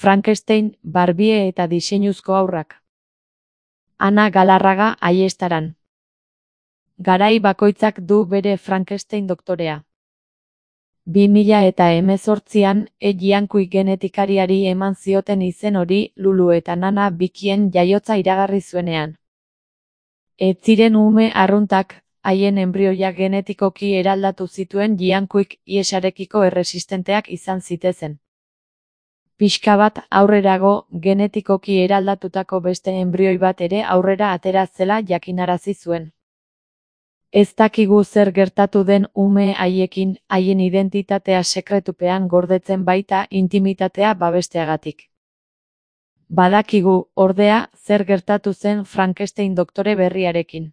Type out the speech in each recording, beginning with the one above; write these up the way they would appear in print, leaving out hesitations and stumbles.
Frankenstein, Barbie eta diseinuzko haurrak. Ana Galarraga Aiestaran. Garai bakoitzak du bere Frankenstein doktorea. 2018an Giancui genetikariari eman zioten izen hori Lulu eta Nana bikien jaiotza iragarri zuenean. Ez ziren ume arruntak, haien enbrioia genetikoki eraldatu zituen Giancuik iesarekiko erresistenteak izan zitezen. Pixka bat aurrerago, genetikoki eraldatutako beste enbrioi bat ere aurrera atera zela jakinarazi zuen. Ez dakigu zer gertatu den ume haiekin, haien identitatea sekretupean gordetzen baita intimitatea babesteagatik. Badakigu, ordea, zer gertatu zen Frankenstein doktore berriarekin.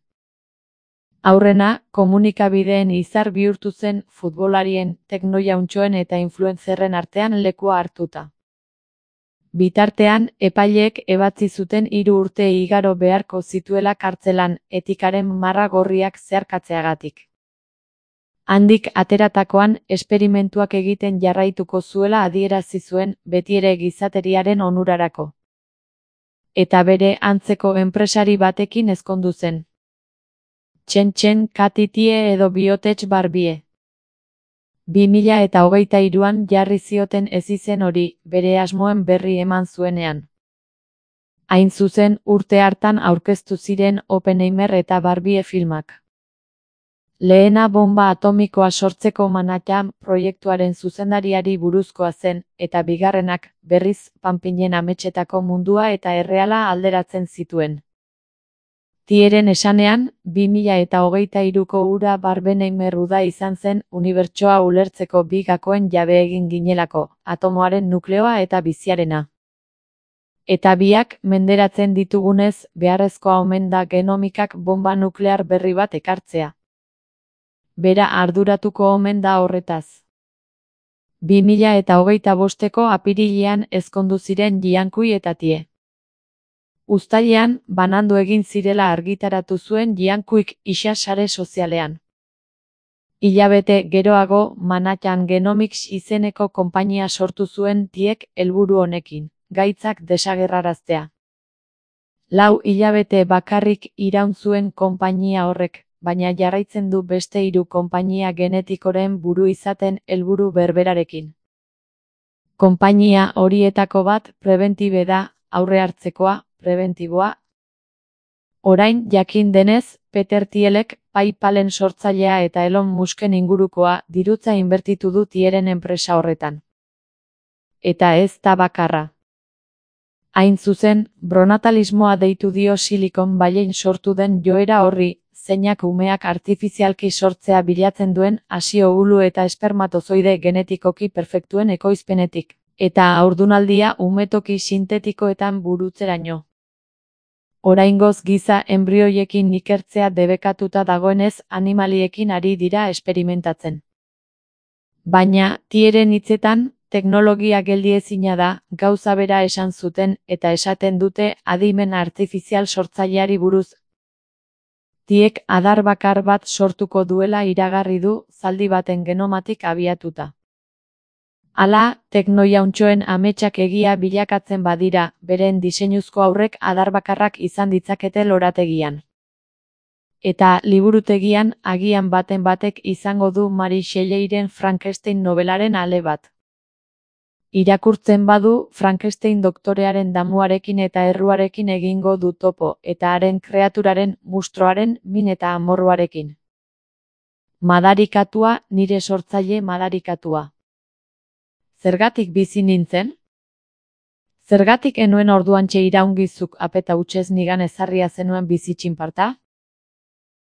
Aurrena, komunikabideen izar bihurtu zen futbolarien, teknojauntxoen eta influencerren artean lekua hartuta. Bitartean, epaileek ebatzi zuten 3 urte igaro beharko zituela kartzelan, etikaren marra gorriak zeharkatzeagatik. Handik ateratakoan, esperimentuak egiten jarraituko zuela adierazi zuen, betiere gizateriaren onurarako. Eta bere antzeko enpresari batekin ezkondu zen. Txen Katitie edo Biotech Barbie. 2023an jarri zioten ezizen hori, bere asmoen berri eman zuenean. Hain zuzen, urte hartan aurkeztu ziren Oppenheimer eta Barbie filmak. Lehena bomba atomikoa sortzeko Manhattan proiektuaren zuzendariari buruzkoa zen, eta bigarrenak, berriz, panpinen ametsetako mundua eta erreala alderatzen zituen. Tieren esanean, 2023ko ura Barbenheimer uda izan zen unibertsoa ulertzeko bi gakoen jabe egin ginelako, atomoaren nukleoa eta biziarena. Eta biak menderatzen ditugunez, beharrezkoa omen da genomikak bomba nuklear berri bat ekartzea. Bera arduratuko omen da horretaz. 2025ko apirilean ezkondu ziren Giancui eta Tie. Uztailean, banandu egin zirela argitaratu zuen Giancuik isa sare sozialean. Hilabete geroago, Manhattan Genomics izeneko konpainia sortu zuen Tiek helburu honekin, gaitzak desagerraraztea. 4 hilabete bakarrik iraun zuen konpainia horrek, baina jarraitzen du beste 3 konpainia genetikoren buru izaten helburu berberarekin. Konpainia horietako bat Preventive da, aurre hartzekoa, prebentiboa. Orain jakin denez, Peter Thielek, PayPalen sortzailea eta Elon Musken ingurukoa, dirutza inbertitu du Tieren enpresa horretan. Eta ez da bakarra. Hain zuzen, bronatalismoa deitu dio Silicon Valleyn sortu den joera horri, zeinak umeak artifizialki sortzea bilatzen duen asio-ulu eta espermatozoide genetikoki perfektuen ekoizpenetik, eta haurdunaldia umetoki sintetikoetan burutzeraino. Oraingoz giza enbrioiekin ikertzea debekatuta dagoenez animaliekin ari dira esperimentatzen. Baina, Tieren hitzetan, teknologia geldiezina da, gauza bera esan zuten eta esaten dute adimen artifizial sortzaileari buruz. Tiek adar bakar bat sortuko duela iragarri du zaldi baten genomatik abiatuta. Hala, teknojauntxoen ametsak egia bilakatzen badira, beren diseinuzko haurrek adar bakarrak izan ditzakete lorategian. Eta liburutegian agian baten batek izango du Mary Shelleyren Frankenstein nobelaren ale bat. Irakurtzen badu, Frankenstein doktorearen damuarekin eta erruarekin egingo du topo, eta haren kreaturaren, mustroaren, min eta amorruarekin. Madarikatua, nire sortzaile madarikatua. Zergatik bizi nintzen? Zergatik enuen orduantxe iraungizuk apeta hutsez nigan ezarria zenuen bizi txinparta?